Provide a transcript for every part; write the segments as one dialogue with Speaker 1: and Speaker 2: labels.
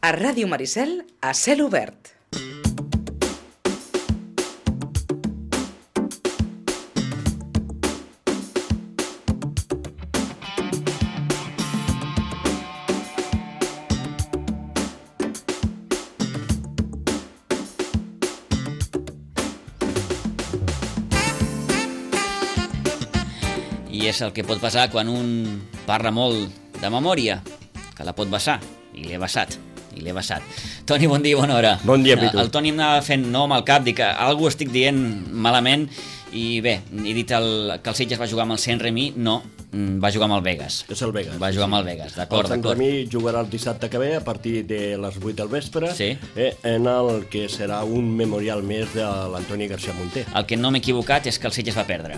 Speaker 1: A Ràdio Maricel, a cel obert.
Speaker 2: I és el que pot passar quan un parla molt de memòria, que la pot vessar, i l'he vessat. Toni, bon dia, bona hora.
Speaker 3: Bon dia, Pitu.
Speaker 2: El Toni em anava fent nom al cap, dic que algú estic dient malament, i bé, he dit que el Sitges va jugar amb el Saint-Remy, no, va jugar amb el Vegas.
Speaker 3: És el Vegas.
Speaker 2: Va jugar amb el Vegas, d'acord.
Speaker 3: El Saint-Remy jugarà el dissabte que ve a partir de les 8 del vespre,
Speaker 2: Sí.
Speaker 3: En el que serà un memorial més de l'Antoni García Munté.
Speaker 2: El que no m'he equivocat és que el Sitges va perdre.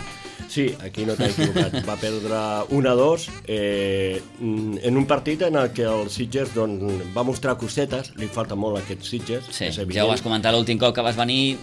Speaker 3: Sí, aquí no t'he equivocat. Va perdre 1-2 en un partit en el que el Sitges va mostrar cosetes, li falta molt a aquest Sitges.
Speaker 2: Sí,
Speaker 3: és evident.
Speaker 2: ja ho vas comentar l'últim cop que vas venir,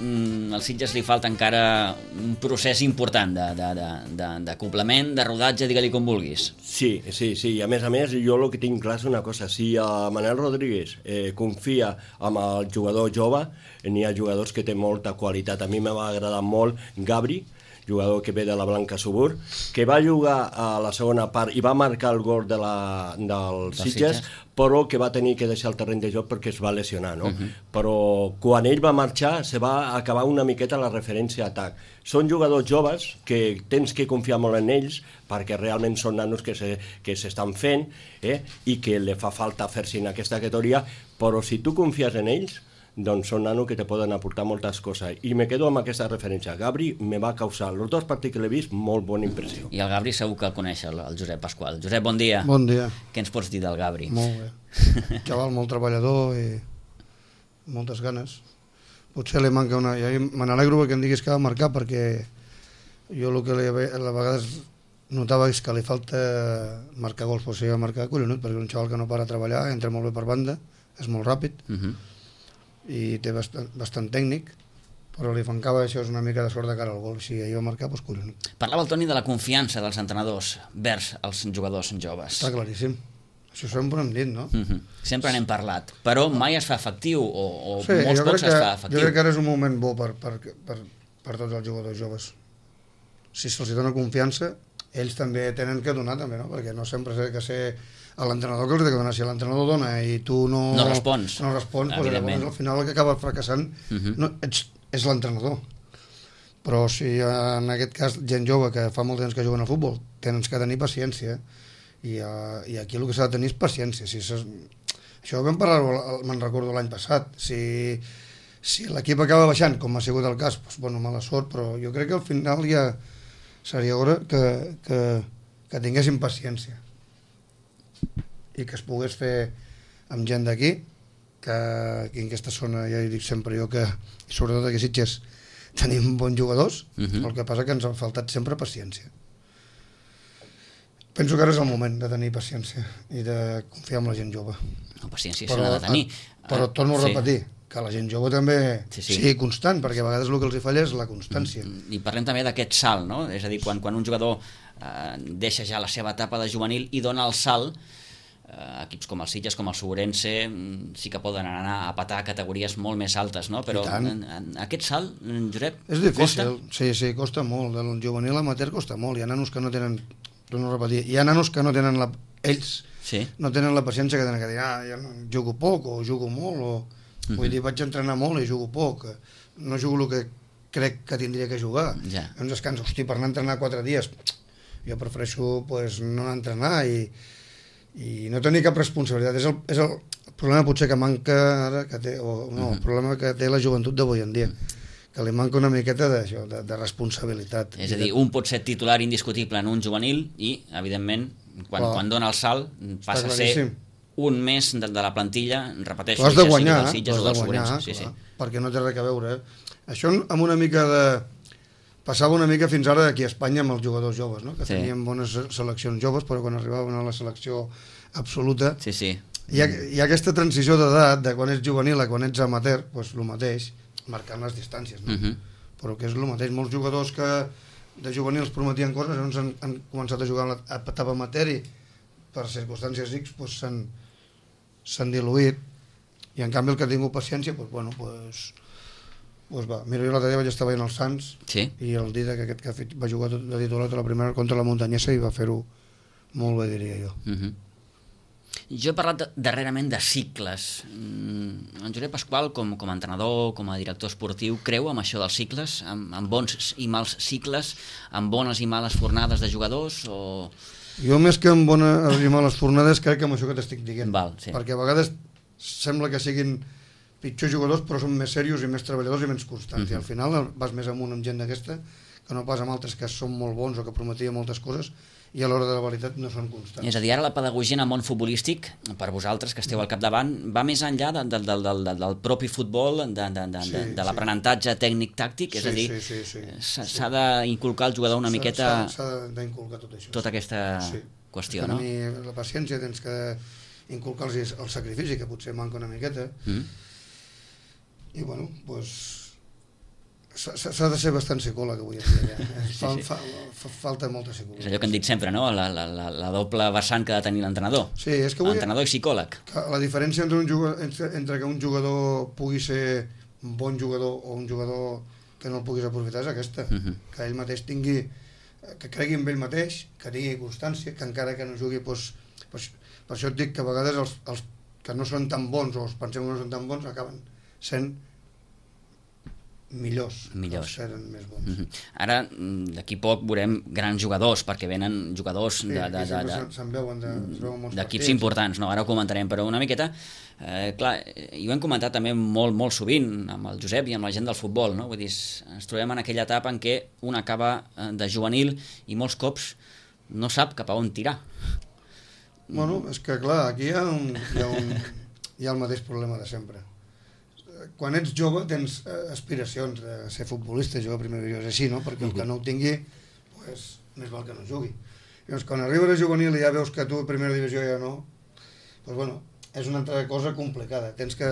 Speaker 2: al Sitges li falta encara un procés important d'acoplament, de rodatge, digue-li com vulguis.
Speaker 3: Sí, i a més, jo el que tinc clar és una cosa, si Manel Rodríguez confia en el jugador jove, n'hi ha jugadors que té molta qualitat. A mi m'ha agradat molt Gabri, jugador que ve de la Blanca Subur, que va jugar a la segona part i va marcar el gol del Sitges, però que va tenir que deixar el terreny de joc perquè es va lesionar, no? Però quan ell va marxar se va acabar una miqueta la referència a atac. Són jugadors joves que tens que confiar molt en ells perquè realment són nanos que s'estan fent i que li fa falta fer-se en aquesta categoria, però si tu confies en ells, doncs són nanos que te poden aportar moltes coses. I me quedo amb aquesta referència. Gabri me va causar, els dos partits que l'he vist, molt bona impressió.
Speaker 2: I el Gabri segur que el coneix, el Josep Pasqual. Josep, bon dia.
Speaker 4: Bon dia.
Speaker 2: Què ens pots dir del Gabri?
Speaker 4: Molt bé. Xaval molt treballador i moltes ganes. Potser li manca una... Ja me n'alegro que em diguis que ha de marcar, perquè jo el que a vegades notava és que li falta marcar gols, però si ha de marcar, collonut, perquè és un xaval que no para de treballar, entra molt bé per banda, és molt ràpid, i té bastant tècnic, però li mancava això, és una mica de sort de cara al gol. Si ahir va marcar, doncs collonut.
Speaker 2: Parlava el Toni de la confiança dels entrenadors vers els jugadors joves.
Speaker 4: Està claríssim. Això sempre hem dit, no?
Speaker 2: Sempre n'hem parlat, però mai es fa efectiu, o
Speaker 4: Sí,
Speaker 2: molts pocs es fa efectiu.
Speaker 4: Jo crec que ara és un moment bo per tots els jugadors joves. Si se'ls dona confiança, ells també tenen que donar, també, no? Perquè no sempre s'ha de ser a l'entrenador que els ha de donar. Si l'entrenador dona i tu no respons, doncs llavors al final el que acaba fracassant és l'entrenador. Però si en aquest cas gent jove que fa molt temps que juguen al futbol, tens que tenir paciència, i aquí el que s'ha de tenir és paciència. Això ho vam parlar, me'n recordo l'any passat. Si l'equip acaba baixant, com ha sigut el cas, doncs, bueno, mala sort, però jo crec que al final ja seria hora que tinguessin paciència i que es pogués fer amb gent d'aquí, que aquí en aquesta zona, ja dic sempre jo, que sobretot aquí a Sitges tenim bons jugadors, el que passa que ens ha faltat sempre paciència. Penso que ara és el moment de tenir paciència i de confiar en la gent jove.
Speaker 2: No, paciència se n'ha de tenir.
Speaker 4: Però torno a repetir, que la gent jove també sigui constant, perquè a vegades el que els falla és la constància.
Speaker 2: I parlem també d'aquest salt, no? És a dir, quan un jugador deixa ja la seva etapa de juvenil i dona el salt, equips com el Sitges, com el Segurense, sí que poden anar a petar categories molt més altes, no? Però aquest salt, Josep,
Speaker 4: és difícil. Costa? Sí, costa molt. El juvenil amateur costa molt. Hi ha nanos que no tenen... Torno a repetir. Hi ha nanos que no tenen ells no tenen la paciència que tenen que dir, ja jugo poc o jugo molt, o vull dir, vaig entrenar molt i jugo poc, no jugo el que crec que tindria que jugar. Llavors es cansa, hosti, per anar a entrenar 4 dies, jo prefereixo no anar a entrenar i no tenir cap responsabilitat. És el problema potser que manca ara, el problema que té la joventut d'avui en dia, que li manca una miqueta d'això, de responsabilitat.
Speaker 2: És a dir, un pot ser titular indiscutible en un juvenil i, evidentment, quan dona el salt passa a ser un més de la plantilla, repeteixo,
Speaker 4: has de guanyar, perquè no té res a veure. Això amb una mica de... Passava una mica fins ara aquí a Espanya amb els jugadors joves, no? Que tenien bones seleccions joves, però quan arribaven a la selecció absoluta hi ha aquesta transició d'edat, de quan ets juvenil a quan ets amateur, doncs el mateix, marcant les distàncies, no? Però que és el mateix. Molts jugadors que de juvenils prometien coses, llavors han començat a jugar a etapa amateur i per circumstàncies X s'han diluït I en canvi el que ha tingut paciència, doncs va. Mira, jo l'altre dia vaig estar veient els Sants i el Dida, que aquest que va jugar de titular la primera contra la Muntanyesa i va fer-ho molt bé, diria jo.
Speaker 2: Jo he parlat darrerament de cicles. En Josep Pasqual, com a entrenador, com a director esportiu, creu en això dels cicles, amb bons i mals cicles, amb bones i males fornades de jugadors? O...
Speaker 4: Jo més que amb bones i males fornades crec que amb això que t'estic dient.
Speaker 2: Sí.
Speaker 4: Perquè a vegades sembla que siguin pitjors jugadors però són més serios i més treballadors i menys constants. I al final vas més amunt amb gent d'aquesta que no pas amb altres que són molt bons o que prometien moltes coses i a l'hora de la veritat no són constants.
Speaker 2: És a dir, ara la pedagogia en el món futbolístic, per vosaltres que esteu al capdavant, va més enllà del propi futbol, de l'aprenentatge tècnic-tàctic, és a dir, s'ha d'inculcar al jugador una miqueta...
Speaker 4: S'ha d'inculcar tot això.
Speaker 2: Tota aquesta qüestió, no?
Speaker 4: Tenir la paciència, tens que inculcar-los el sacrifici, que potser manca una miqueta, i bueno, doncs... S'ha de ser bastant psicòleg avui en dia. Falta molta psicologia.
Speaker 2: És allò que hem dit sempre, no? La doble vessant que ha de tenir l'entrenador.
Speaker 4: Sí, és que avui...
Speaker 2: Entrenador i psicòleg.
Speaker 4: La diferència entre que un jugador pugui ser un bon jugador o un jugador que no el puguis aprofitar és aquesta. Que ell mateix tingui... que cregui en ell mateix, que tingui constància, que encara que no jugui... Per això et dic que a vegades els que no són tan bons o els pensem que no són tan bons acaben sent millors. Els eren més bons.
Speaker 2: Ara, d'aquí poc veurem grans jugadors, perquè venen jugadors
Speaker 4: se'n veuen
Speaker 2: d'equips importants, no? Ara ho comentarem, però una miqueta clar, i ho hem comentat també molt sovint amb el Josep i amb la gent del futbol, no? Vull dir, ens trobem en aquella etapa en què un acaba de juvenil i molts cops no sap cap a on tirar.
Speaker 4: Bueno, és que clar, aquí hi ha el mateix problema de sempre. Quan ets jove tens aspiracions de ser futbolista, jugar a primera divisió, és així, no? Perquè el que no ho tingui, pues, més val que no jugui. Llavors, quan arribes a juvenil i ja veus que tu a primera divisió ja no, pues, bueno, és una altra cosa complicada. Tens que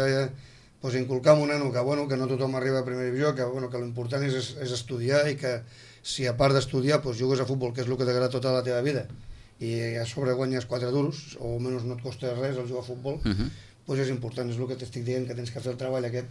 Speaker 4: inculcar a un nano que no tothom arriba a primera divisió, que l'important és estudiar i que si a part d'estudiar jugues a futbol, que és el que t'agrada tota la teva vida, i a sobre guanyes 4 duros, o almenys no et costa res el jugar a futbol, doncs és important, és el que t'estic dient, que tens que fer el treball aquest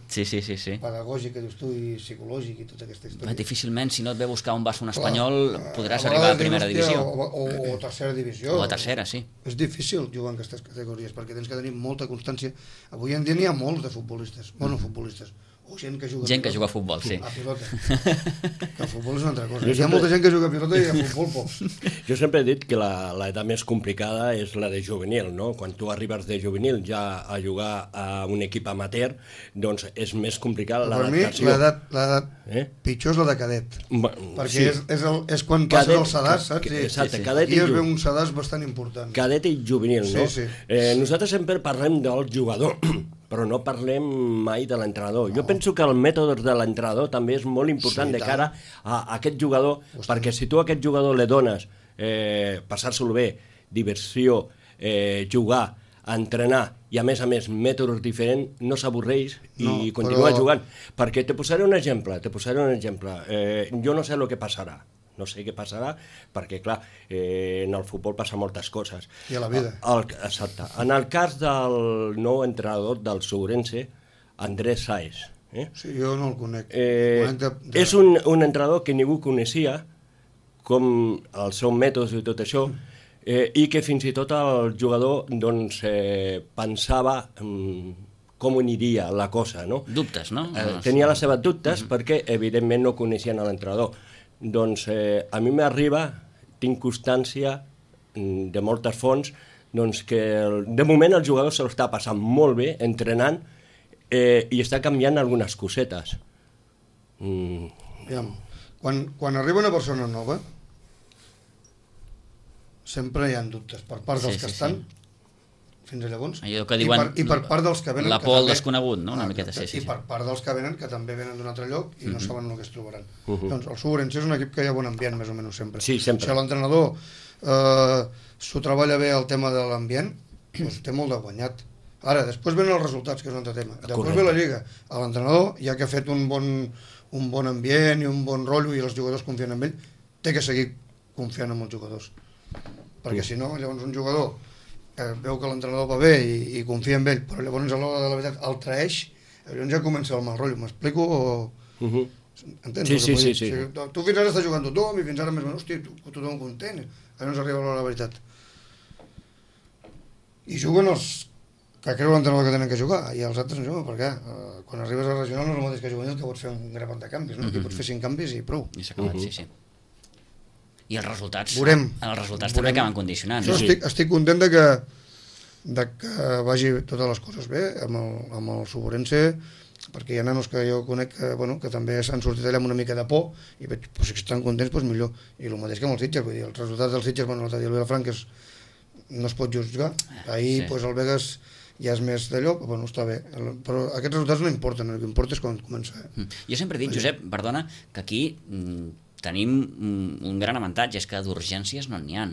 Speaker 4: pedagògic que dius tu i psicològic i tota aquesta història.
Speaker 2: Difícilment, si no et ve buscar on vas un espanyol, podràs arribar a primera divisió.
Speaker 4: O tercera divisió.
Speaker 2: O a tercera, sí.
Speaker 4: És difícil jugar en aquestes categories, perquè tens que tenir molta constància. Avui en dia n'hi ha molts de futbolistes, futbolistes, o gent que juga
Speaker 2: a futbol, sí.
Speaker 4: A pilota. Que el futbol és una altra cosa. Hi ha molta gent que juga a pilota i a futbol pocs.
Speaker 3: Jo sempre he dit que l'edat més complicada és la de juvenil, no? Quan tu arribes de juvenil ja a jugar a un equip amateur, doncs és més complicat l'adaptació.
Speaker 4: Per mi l'edat pitjor és la de cadet. Perquè és quan passes el sedàs, saps?
Speaker 3: Exacte, cadet
Speaker 4: i juvenil. Aquí es veu un sedàs bastant important.
Speaker 3: Cadet i juvenil, no?
Speaker 4: Sí.
Speaker 3: Nosaltres sempre parlem del jugador, però no parlem mai de l'entrenador. Jo penso que el mètode de l'entrenador també és molt important de cara a aquest jugador, perquè si tu a aquest jugador li dones passar-se'l bé, diversió, jugar, entrenar i a més mètodes diferents, no s'avorreix i continua jugant. Perquè te posaré un exemple. Jo no sé el que passarà. No sé què passarà, perquè, clar, en el futbol passa moltes coses.
Speaker 4: I a la vida.
Speaker 3: Exacte. En el cas del nou entrenador del Ourense, Andrés Sáez.
Speaker 4: Sí, jo no el conec.
Speaker 3: És un entrenador que ningú coneixia, com els seus mètodes i tot això, i que fins i tot el jugador pensava com aniria la cosa, no?
Speaker 2: Dubtes, no?
Speaker 3: Tenia les seves dubtes perquè, evidentment, no coneixien l'entrenador. Doncs a mi m'arriba, tinc constància de moltes fonts, doncs que de moment el jugador se l'està passant molt bé, entrenant, i està canviant algunes cosetes.
Speaker 4: Quan arriba una persona nova, sempre hi ha dubtes per part dels que estan, fins a llavors,
Speaker 2: allò que diuen,
Speaker 4: i per part dels que venen...
Speaker 2: La por al desconegut, no? Una miqueta, sí.
Speaker 4: I per part dels que venen, que també venen d'un altre lloc i no saben el que es trobaran. Doncs el Ourense és un equip que hi ha bon ambient, més o menys sempre.
Speaker 3: Sí, sempre.
Speaker 4: Si l'entrenador s'ho treballa bé el tema de l'ambient, doncs té molt de guanyat. Ara, després venen els resultats, que és un altre tema. Després ve la Lliga. L'entrenador, ja que ha fet un bon ambient i un bon rotllo i els jugadors confien en ell, té que seguir confiant en els jugadors. Perquè si no, llavors un jugador veu que l'entrenador va bé i confia en ell, però llavors a l'hora de la veritat el traeix, llavors ja comença el mal rotllo. M'explico? Entens?
Speaker 3: Sí.
Speaker 4: O sigui, tu fins ara estàs jugant tothom i fins ara més o menys, hosti, tothom content, llavors arriba l'hora de la veritat. I juguen els que creu l'entrenador que tenen que jugar i els altres no juguen, perquè quan arribes a regional no és el mateix que juvenil, que pots fer un grapat de canvis, no? Aquí pots fer 5 canvis i prou.
Speaker 2: I s'ha acabat, sí. I els resultats,
Speaker 4: Veurem.
Speaker 2: També acaben condicionant.
Speaker 4: Jo estic content de que vagi totes les coses bé amb el Suborense, perquè hi ha nanos que jo conec que també s'han sortit allà amb una mica de por i veig, si estan contents, doncs millor. I el mateix que amb els Sitges, vull dir, els resultats dels Sitges, l'altre dia el Vilafranca no es pot jutjar. Ahir el Vegas ja és més d'allò, però està bé. Però aquests resultats no importen, el que importa és quan comença.
Speaker 2: Jo sempre he dit, Josep, perdona, que aquí tenim un gran avantatge, és que d'urgències no n'hi ha.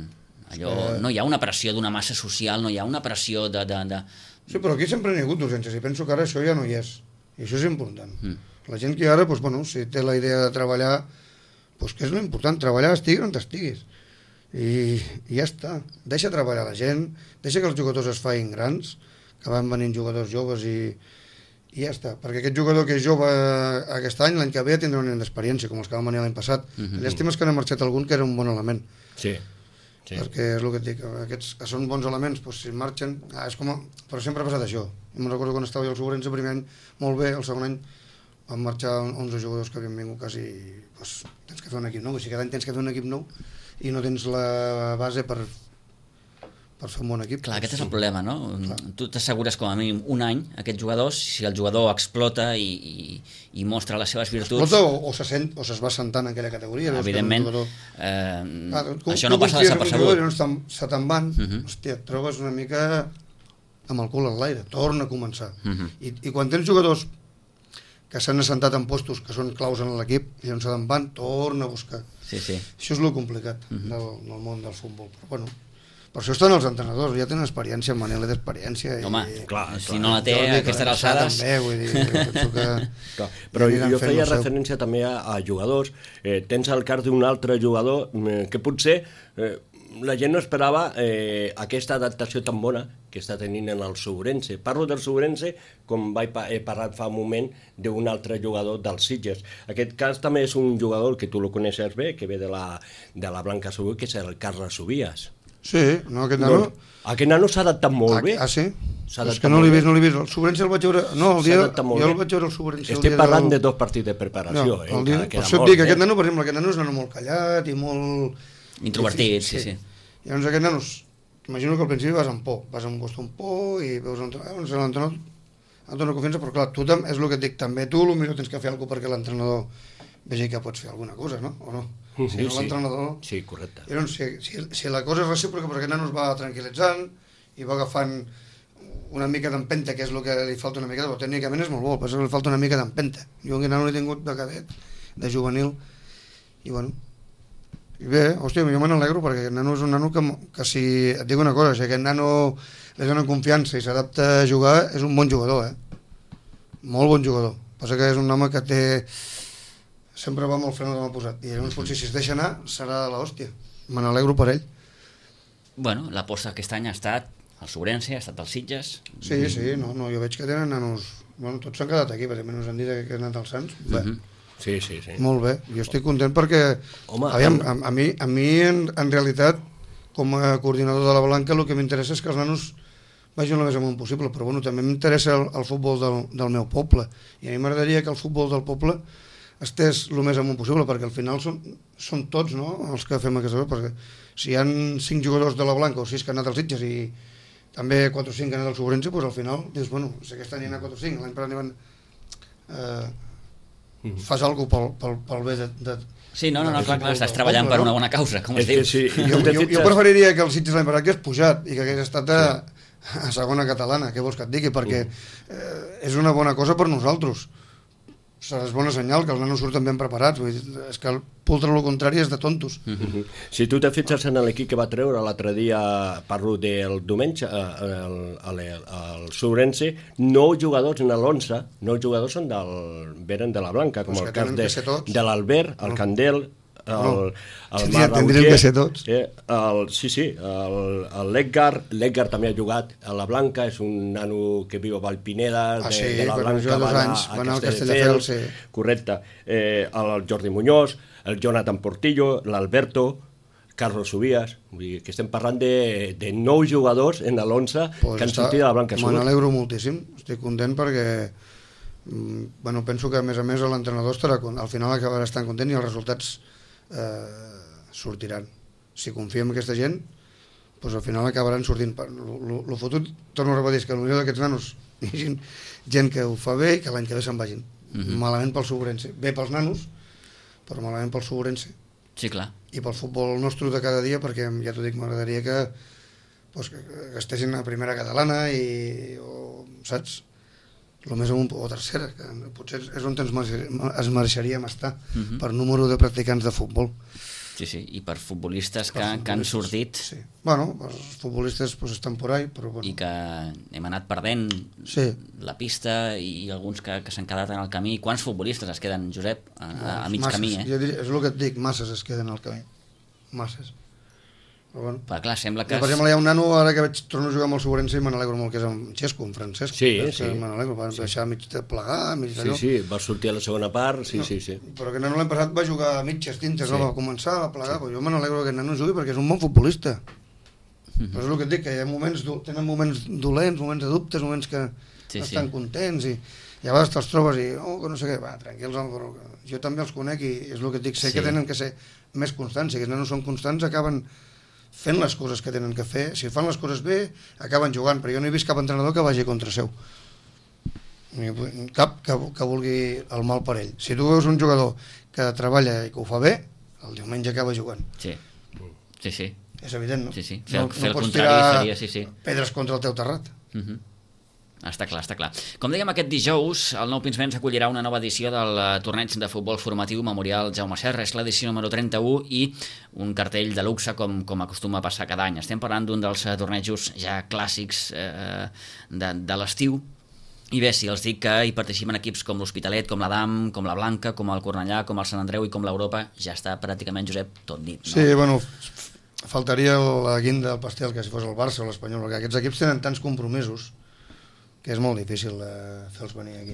Speaker 2: No hi ha una pressió d'una massa social, no hi ha una pressió de...
Speaker 4: Sí, però aquí sempre n'hi ha hagut d'urgències i penso que ara això ja no hi és. I això és important. La gent que ara, si té la idea de treballar, que és l'important, treballar estiguis on estiguis. I ja està. Deixa treballar la gent, deixa que els jugadors es facin grans, que van venint jugadors joves i ja està. Perquè aquest jugador que és jove aquest any, l'any que ve tindrà un any d'experiència, com els que van venir l'any passat. Llàstima és que n'ha marxat algun que era un bon element.
Speaker 3: Sí.
Speaker 4: Perquè és el que et dic, aquests que són bons elements, si marxen, és com però sempre ha passat això. Jo me'n recordo quan estava jo al Suborense el primer any, molt bé, el segon any van marxar 11 jugadors que havien vingut quasi, tens que fer un equip nou, si cada any tens que fer un equip nou i no tens la base per fer un bon equip.
Speaker 2: Clar, aquest és el problema, no? Tu t'assegures com a mínim un any aquests jugadors, si el jugador explota i mostra les seves virtuts...
Speaker 4: Explota o es va sentant en aquella categoria.
Speaker 2: Evidentment, això no passa desapercebut.
Speaker 4: Se te'n van, hòstia, et trobes una mica amb el cul en l'aire, torna a començar. I quan tens jugadors que s'han assentat en postos que són claus en l'equip i on se te'n van, torna a buscar.
Speaker 2: Això
Speaker 4: és el complicat del món del futbol. Però bueno, per això estan els entrenadors, ja tenen experiència, Manel té experiència.
Speaker 2: Home, si no la té a aquestes alçades...
Speaker 4: També, vull dir, penso que...
Speaker 3: Però jo feia referència també a jugadors. Tens el cas d'un altre jugador que potser la gent no esperava aquesta adaptació tan bona que està tenint en el Suborense. Parlo del Suborense com he parlat fa un moment d'un altre jugador dels Sitges. Aquest cas també és un jugador que tu lo coneixes bé, que ve de la Blanca Subí, que és el Carles Subias.
Speaker 4: Sí, no, aquest nano...
Speaker 3: Aquest nano s'ha adaptat molt bé.
Speaker 4: Ah, sí? És que no l'he vist. El Suborense el vaig veure... No, jo el vaig veure el Suborense...
Speaker 3: Estic parlant de 2 partits de preparació.
Speaker 4: Per això et dic, aquest nano, per exemple, aquest nano és un nano molt callat i molt...
Speaker 2: Introvertit, sí.
Speaker 4: Llavors aquest nano, imagino que al principi vas amb por, vas amb gust amb por i veus l'entrenador et dona confiança, però clar, tu és el que et dic, també tu potser tens que fer alguna cosa perquè l'entrenador vegi que pots fer alguna cosa, no? O no? Si no l'entrenador...
Speaker 3: Sí, correcte.
Speaker 4: Llavors, si la cosa és recíproca, perquè aquest nano es va tranquil·litzant i va agafant una mica d'empenta, que és el que li falta una mica, però tècnicament és molt bo, però li falta una mica d'empenta. Jo aquest nano l'he tingut de cadet, de juvenil, i bueno... I bé, hòstia, jo me n'alegro perquè aquest nano és un nano que si... Et dic una cosa, si aquest nano li dona confiança i s'adapta a jugar, és un bon jugador, Molt bon jugador. Passa que és un home que té... Sempre va amb el fre de mà posat. I llavors potser si es deixa anar serà de l'hòstia. Me n'alegro per ell.
Speaker 2: Bueno, l'aposta aquest any ha estat el Suborense, ha estat els Sitges...
Speaker 4: Sí, jo veig que tenen nanos... Bueno, tots s'han quedat aquí, perquè ens han dit que han anat als Sants. Bé.
Speaker 3: Sí.
Speaker 4: Molt bé, jo estic content perquè aviam, a mi en realitat com a coordinador de la Blanca el que m'interessa és que els nanos vagin el més amunt possible, però bueno, també m'interessa el futbol del meu poble i a mi m'agradaria que el futbol del poble estés el més amunt possible perquè al final són tots, no?, els que fem aquesta cosa, perquè si hi ha 5 jugadors de la Blanca o 6 que han anat als Sitges i també 4 o 5 que han anat al Suborense, doncs al final dius, bueno, si aquest any hi ha 4 o 5, l'any passat n'hi van... fas alguna cosa pel bé de...
Speaker 2: Sí, no, clar, estàs treballant per una bona causa, com es diu.
Speaker 3: Sí,
Speaker 4: jo preferiria que el Sitges l'any passat hagués pujat i que hagués estat a segona catalana, què vols que et digui, perquè és una bona cosa per nosaltres. És bona senyal que els nanos surten ben preparats, vull dir, és que pultre el contrari és de tontos.
Speaker 3: Si tu te fixes en l'equip que va treure l'altre dia, parlo del diumenge, el Suborense, 9 jugadors en l'11, 9 jugadors venen de la Blanca, com el cas de l'Albert, el Candel, el
Speaker 4: tindríem que ser tots.
Speaker 3: L'Edgar també ha jugat a la Blanca, és un nano que viu a Valpineda, de la Blanca,
Speaker 4: va anar al Castelldefels, sí.
Speaker 3: Correcte. El Jordi Muñoz, el Jonathan Portillo, l'Alberto, Carlos Subías, vull dir que estem parlant de 9 jugadors en l'11 que han sortit de la Blanca Sur.
Speaker 4: Me n'alegro moltíssim, estic content perquè penso que a més l'entrenador estarà, al final acabarà estant content i els resultats sortiran. Si confiem en aquesta gent, doncs al final acabaran sortint. El fotut, torno a repetir, que potser d'aquests nanos hi hagi gent que ho fa bé i que l'any que ve se'n vagin. Malament pel Sobrense, bé pels nanos, però malament pel Sobrense.
Speaker 2: Sí, clar.
Speaker 4: I pel futbol nostre de cada dia, perquè ja t'ho dic, m'agradaria que estessin a primera catalana o saps? El més amunt, o tercera, que potser és on es mereixeríem estar per número de practicants de futbol.
Speaker 2: Sí, i per futbolistes que han sortit.
Speaker 4: Sí. Bueno, els futbolistes estan por ahí, però bueno.
Speaker 2: I que hem anat perdent la pista i alguns que s'han quedat en el camí. Quants futbolistes es queden, Josep, a mig camí?
Speaker 4: Jo diria, és el que et dic, masses es queden al camí. Masses. Però bueno.
Speaker 2: Però clar, sembla que...
Speaker 4: Per exemple, hi ha un nano, ara que torno a jugar amb el Sobrense i me n'alegro molt, que és en Xesco, en Francesc.
Speaker 3: Sí.
Speaker 4: Me n'alegro, van deixar mig de plegar, mig d'allò.
Speaker 3: Sí, va sortir a la segona part, sí.
Speaker 4: Però aquest nano l'any passat va jugar a mitges tintes, no va començar a plegar, però jo me n'alegro que aquest nano jugui perquè és un bon futbolista. Però és el que et dic, que hi ha tenen moments dolents, moments de dubtes, moments que estan contents i a vegades te'ls trobes i que no sé què, va, tranquils, però jo també els conec i és el que et dic, sé que tenen que ser més constants, si aquests nanos són constants acaben fent les coses que tenen que fer. Si fan les coses bé, acaben jugant, però jo no he vist cap entrenador que vagi contra seu. Cap que vulgui el mal per ell. Si tu veus un jugador que treballa i que ho fa bé, el diumenge acaba jugant.
Speaker 2: Sí.
Speaker 4: És evident, no?
Speaker 2: Sí.
Speaker 4: No pots tirar pedres contra el teu terrat.
Speaker 2: Està clar. Com dèiem, aquest dijous, el Nou Pinsbens acollirà una nova edició del torneig de futbol formatiu Memorial Jaume Serra. És l'edició número 31 i un cartell de luxe com acostuma a passar cada any. Estem parlant d'un dels tornejos ja clàssics de l'estiu. I bé, si els dic que hi participen equips com l'Hospitalet, com l'Adam, com la Blanca, com el Cornellà, com el Sant Andreu i com l'Europa, ja està pràcticament, Josep, tot dit. No?
Speaker 4: Sí, bueno, faltaria la guinda del pastel que si fos el Barça o l'Espanyol, perquè aquests equips tenen tants compromisos que és molt difícil fer-los venir aquí.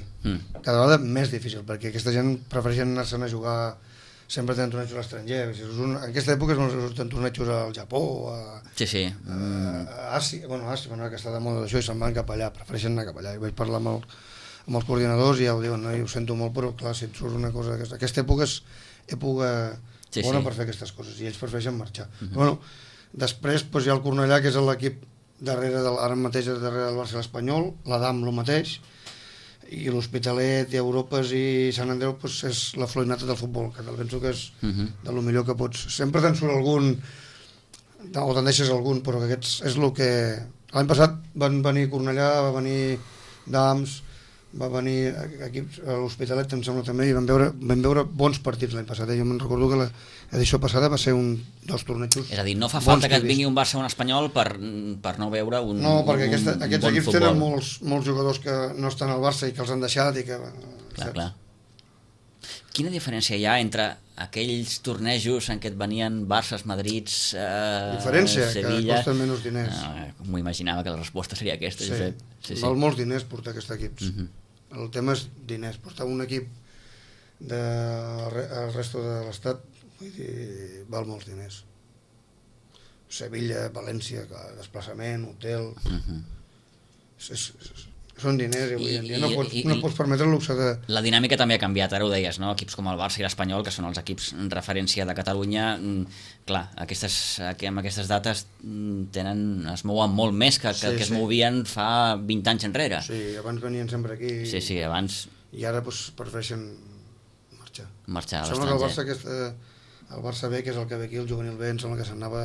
Speaker 4: Cada vegada més difícil, perquè aquesta gent prefereixen anar-se'n a jugar, sempre tenen tornejos a l'estranger. En aquesta època tenen tornejos al Japó, a Àsia, que està de moda d'això, i se'n van cap allà, prefereixen anar cap allà. I vaig parlar amb els coordinadors i ja ho diuen, no? I ho sento molt, però clar, si et surt una cosa d'aquesta... Aquesta època és època bona per fer aquestes coses, i ells prefereixen marxar. Bueno, després hi ha el Cornellà, que és l'equip ara mateix darrere del Barça i l'Espanyol, l'Adam el mateix, i l'Hospitalet i Europes i Sant Andreu és la florinata del futbol, que penso que és de lo millor que pots. Sempre te'n surt algun, o te'n deixes algun, però que aquests és el que... L'any passat van venir Cornellà, va venir Dams, va venir equips a l'Hospitalet, em sembla també, i vam veure bons partits l'any passat. Jo me'n recordo que l'edició passada va ser un dels tornejos.
Speaker 2: És a dir, no fa falta que et vingui un Barça o un Espanyol per no veure un
Speaker 4: No, perquè aquests
Speaker 2: bon
Speaker 4: equips
Speaker 2: futbol.
Speaker 4: tenen molts jugadors que no estan al Barça i que els han deixat i que...
Speaker 2: Clar. Quina diferència hi ha entre aquells tornejos en què et venien Barças, Madrids,
Speaker 4: diferència,
Speaker 2: Sevilla...
Speaker 4: que costen menys diners.
Speaker 2: M'ho imaginava que la resposta seria aquesta, Josep.
Speaker 4: Val molts diners portar aquests equips. El tema és diners. Portar un equip del resto de l'estat, vull dir, val molts diners. Sevilla, València, desplaçament, hotel... Són diners, i avui en dia no pots permetre el luxe de...
Speaker 2: La dinàmica també ha canviat, ara ho deies, no? Equips com el Barça i l'Espanyol, que són els equips referència de Catalunya, clar, amb aquestes dates es mouen molt més que es movien fa 20 anys enrere.
Speaker 4: Sí, abans venien sempre aquí.
Speaker 2: Sí, abans...
Speaker 4: I ara prefereixen marxar.
Speaker 2: Marxar a
Speaker 4: l'estranger.
Speaker 2: l'estranger.
Speaker 4: Sembla que el Barça B, que és el que ve aquí, el juvenil B, em sembla que se'n anava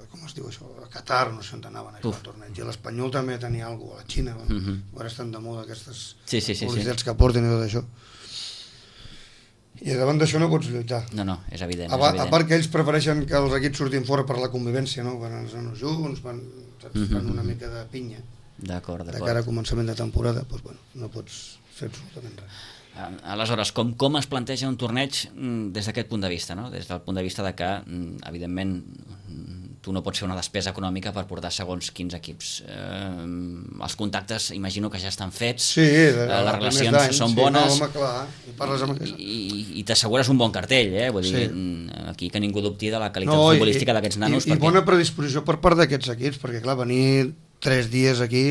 Speaker 4: com es diu això, a Qatar, no sé on anaven a jugar al torneig, i l'Espanyol també tenia alguna cosa, a la Xina, ara estan de moda aquestes publicitats que porten i tot això, i davant d'això no pots lluitar.
Speaker 2: No, és evident.
Speaker 4: A part que ells prefereixen que els equips surtin fora per la convivència, no? Van els nanos junts, fan una mica de pinya.
Speaker 2: D'acord.
Speaker 4: De cara a començament de temporada, doncs, bueno, no pots fer absolutament res.
Speaker 2: Aleshores, com es planteja un torneig des d'aquest punt de vista, no? Des del punt de vista de que, evidentment, tu no pots fer una despesa econòmica per portar segons quins equips. Els contactes, imagino que ja estan fets,
Speaker 4: Sí,
Speaker 2: les relacions són bones,
Speaker 4: sí, no, home, clar, i parles amb aquell.
Speaker 2: i t'assegures un bon cartell, vull dir, aquí que ningú dubti de la qualitat futbolística d'aquests nanos.
Speaker 4: I bona predisposició per part d'aquests equips, perquè clar, venir 3 dies aquí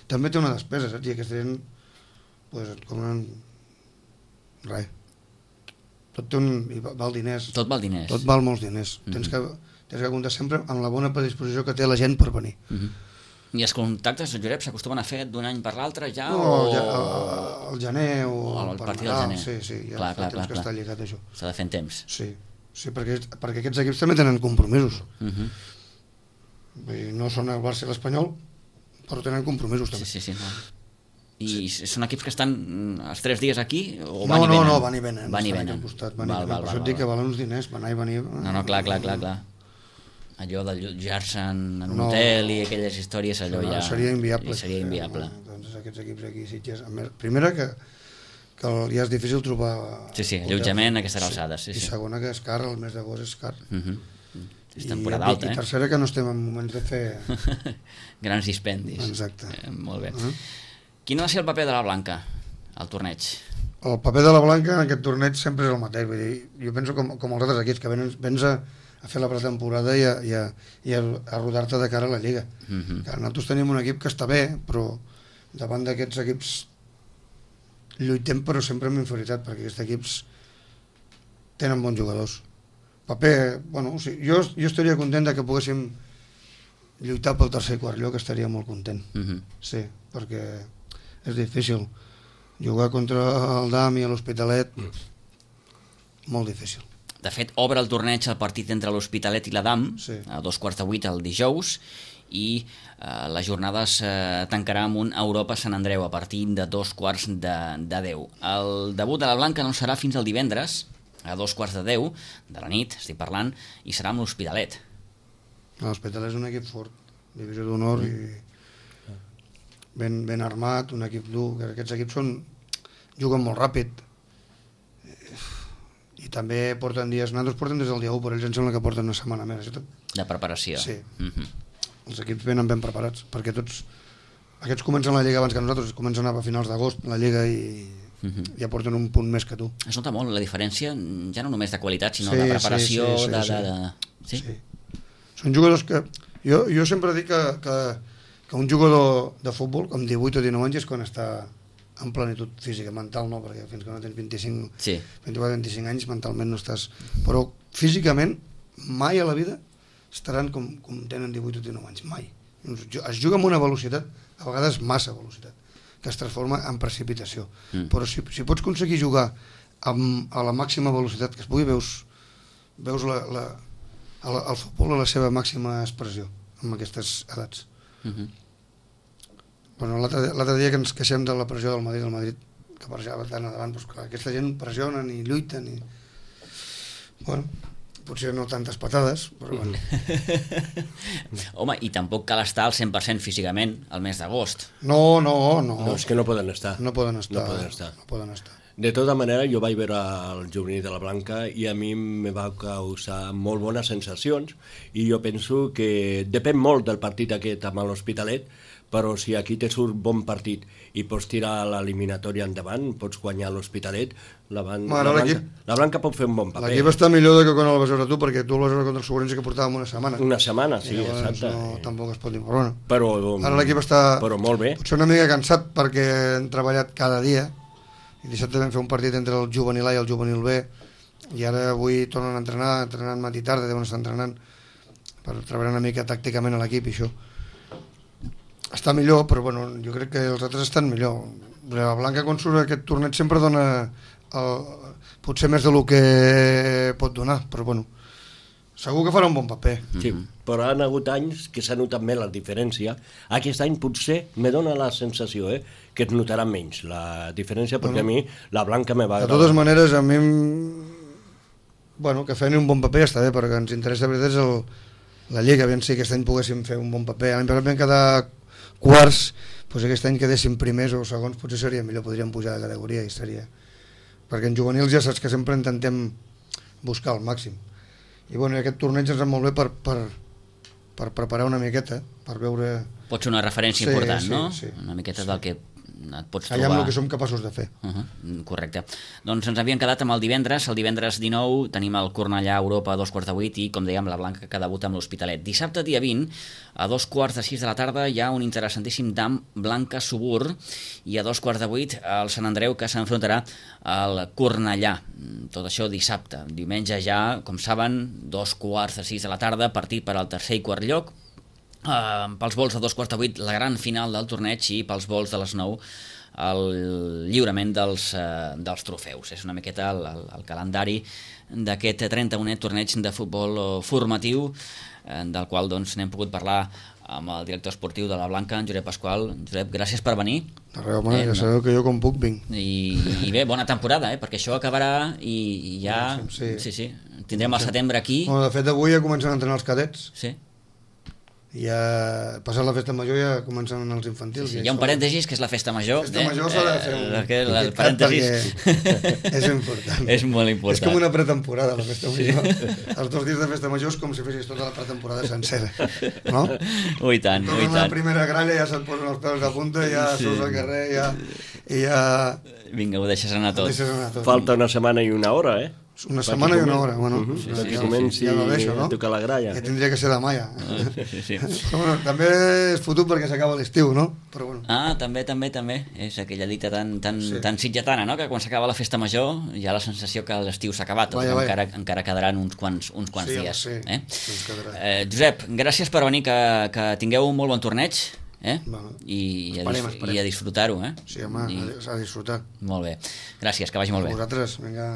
Speaker 4: també té una despesa, saps? I aquesta gent, pues, et cobren res. Tot té i val diners.
Speaker 2: Tot val diners.
Speaker 4: Tot val molts diners. Tens que comptar sempre amb la bona predisposició que té la gent per venir.
Speaker 2: I els contactes, Josep, s'acostumen a fer d'un any per l'altre ja?
Speaker 4: No, al gener o
Speaker 2: al
Speaker 4: per
Speaker 2: partit del gener.
Speaker 4: Sí, ja fa temps que està lligat això.
Speaker 2: S'ha de fer en temps.
Speaker 4: Sí, perquè aquests equips també tenen compromisos. Vull dir, no són el Barça i l'Espanyol, però tenen compromisos també.
Speaker 2: Sí. No. I són equips que estan els 3 dies aquí o van i venen?
Speaker 4: No, van i venen.
Speaker 2: Van i venen.
Speaker 4: Per això et dic que valen uns diners, van i venir.
Speaker 2: No, clar. Allò d'allotjar-se en un hotel i aquelles històries, allò ja...
Speaker 4: Seria inviable. Doncs aquests equips aquí, Sitges... Primera, que ja és difícil trobar...
Speaker 2: Sí, allotjament a aquestes alçades.
Speaker 4: I segona, que és car, el mes d'agost és car.
Speaker 2: És temporada alta,
Speaker 4: I tercera, que no estem en moments de fer...
Speaker 2: Grans dispendis.
Speaker 4: Exacte.
Speaker 2: Molt bé. Quin ha de ser el paper de la Blanca al torneig?
Speaker 4: El paper de la Blanca en aquest torneig sempre és el mateix. Vull dir, jo penso com els altres equips, que vens a fer la pretemporada i a rodar-te de cara a la Lliga. Nosaltres tenim un equip que està bé, però davant d'aquests equips lluitem, però sempre amb inferioritat, perquè aquests equips tenen bons jugadors. Paper, bueno, o sigui, jo estaria content que poguéssim lluitar pel tercer i quart lloc, estaria molt content. Sí, perquè és difícil jugar contra el DAM i l'Hospitalet, molt difícil.
Speaker 2: De fet, obre el torneig el partit entre l'Hospitalet i la DAM, a 7:15 el dijous, i la jornada es tancarà amb un Europa Sant Andreu a partir de 9:15. El debut de la Blanca no serà fins al divendres, a 9:15 de la nit, estic parlant, i serà amb l'Hospitalet.
Speaker 4: L'Hospitalet és un equip fort, divisió d'honor i ben armat, un equip dur, que aquests equips juguen molt ràpid i també porten dies, nosaltres portem des del dia 1, però ells em sembla que porten una setmana més.
Speaker 2: De preparació.
Speaker 4: Sí. Els equips venen ben preparats, perquè aquests comencen la Lliga abans que nosaltres, comencen a finals d'agost la Lliga i ja porten un punt més que tu.
Speaker 2: Es nota molt la diferència, ja no només de qualitat, sinó de preparació.
Speaker 4: Sí. Són jugadors que... Jo sempre dic que un jugador de futbol, com 18 o 19 anys, és quan està en plenitud física, mental no, perquè fins que no tens 24-25 anys mentalment no estàs, però físicament mai a la vida estaran com tenen 18 o 19 anys, mai. Es juga amb una velocitat, a vegades massa velocitat, que es transforma en precipitació, però si pots aconseguir jugar a la màxima velocitat que es pugui, veus el futbol a la seva màxima expressió amb aquestes edats. Bueno, l'altre dia que ens queixem de la pressió del Madrid que pressionava tant endavant, doncs clar, aquesta gent pressionen i lluiten i... Bueno, potser no tantes patades, però bueno.
Speaker 2: Home, i tampoc cal estar al 100% físicament al mes d'agost.
Speaker 4: No,
Speaker 3: és que no poden estar.
Speaker 4: No poden estar.
Speaker 3: De tota manera, jo vaig veure el juvenil de la Blanca i a mi me va causar molt bones sensacions i jo penso que depèn molt del partit aquest amb l'Hospitalet, però si aquí te surt bon partit i pots tirar l'eliminatòria endavant, pots guanyar l'Hospitalet, la Blanca pot fer un bon paper.
Speaker 4: L'equip està millor que quan el vas veure tu, perquè tu el vas veure contra el Sobrense que portàvem una setmana.
Speaker 3: Una setmana, sí, exacte.
Speaker 4: Tampoc es pot dir, però bueno.
Speaker 3: Però
Speaker 4: ara l'equip està
Speaker 3: molt bé.
Speaker 4: Potser una mica cansat perquè hem treballat cada dia, i dissabte vam fer un partit entre el juvenil A i el juvenil B, i ara avui tornen a entrenant matí i tarda, deuen estar entrenant per treballar una mica tàcticament a l'equip i això. Està millor, però bueno, jo crec que els altres estan millor. La Blanca, quan surt aquest torneig, sempre dona potser més del que pot donar, però bueno, segur que farà un bon paper.
Speaker 3: Sí, però han hagut anys que s'ha notat més la diferència. Aquest any potser me dona la sensació que es notarà menys la diferència, perquè a mi la Blanca me va agradar.
Speaker 4: De totes maneres, a mi que fem un bon paper està bé, perquè ens interessa de veritat és la Lliga, aviam si aquest any poguéssim fer un bon paper. L'any passat vam quedar quarts, doncs aquest any quedéssim primers o segons potser seria millor, podríem pujar de categoria i seria perquè en juvenils ja saps que sempre intentem buscar el màxim. I bueno, aquest torneig ens va molt bé per preparar una miqueta, per veure...
Speaker 2: Pot ser una referència important,
Speaker 4: sí,
Speaker 2: no?
Speaker 4: Sí,
Speaker 2: una miqueta del que et pots
Speaker 4: allà
Speaker 2: trobar...
Speaker 4: amb el que som capaços de fer.
Speaker 2: Correcte. Doncs ens havíem quedat amb el divendres 19 tenim el Cornellà Europa a 7:45 i, com dèiem, la Blanca que debuta amb l'Hospitalet. Dissabte, dia 20, a 6:45 de la tarda hi ha un interessantíssim dam Blanca Subur i a 7:45 el Sant Andreu que s'enfrontarà al Cornellà. Tot això dissabte. Diumenge ja, com saben, 6:45 de la tarda, partit per al tercer i quart lloc. Pels vols de 7:45 la gran final del torneig i pels vols de les 9 el lliurament dels trofeus. És una miqueta el calendari d'aquest 31è torneig de futbol formatiu del qual doncs n'hem pogut parlar amb el director esportiu de la Blanca, en Josep Pasqual. Josep, gràcies per venir.
Speaker 4: De res, home, ja sabeu que jo com puc vinc.
Speaker 2: I bé, bona temporada, perquè això acabarà i ja... Sí. Tindrem el setembre aquí.
Speaker 4: Bueno, de fet, avui ja comencen a entrenar els cadets.
Speaker 2: Sí.
Speaker 4: I ja, passat la festa major, ja comencen els infantils.
Speaker 2: Sí, hi ha un parèntesis, que és la festa major.
Speaker 4: La festa major s'ha de fer
Speaker 2: el parèntesis.
Speaker 4: És important.
Speaker 2: És molt important.
Speaker 4: És com una pretemporada, la festa major. Els 2 dies de festa major és com si fessis tota la pretemporada sencera, no?
Speaker 2: Ui tant, ui tant.
Speaker 4: La primera gralla ja se't posen els peus de punta, ja surts al carrer, i ja...
Speaker 2: Vinga, ho deixes anar tot.
Speaker 3: Falta una setmana i una hora,
Speaker 4: Una setmana i una hora, bueno.
Speaker 3: Perquè comenci a tocar la gralla.
Speaker 4: Que tindria que ser demà ja.
Speaker 2: Sí.
Speaker 4: Però bueno, també és fotut perquè s'acaba l'estiu, no? Però bueno.
Speaker 2: També. És aquella dita tan sitgetana, no? Que quan s'acaba la festa major hi ha la sensació que l'estiu s'ha acabat, encara quedaran uns quants dies. Josep, gràcies per venir, que tingueu un molt bon torneig. I a disfrutar-ho.
Speaker 4: Sí, home, a disfrutar.
Speaker 2: Molt bé, gràcies, que vagi molt bé.
Speaker 4: Vosaltres, vinga.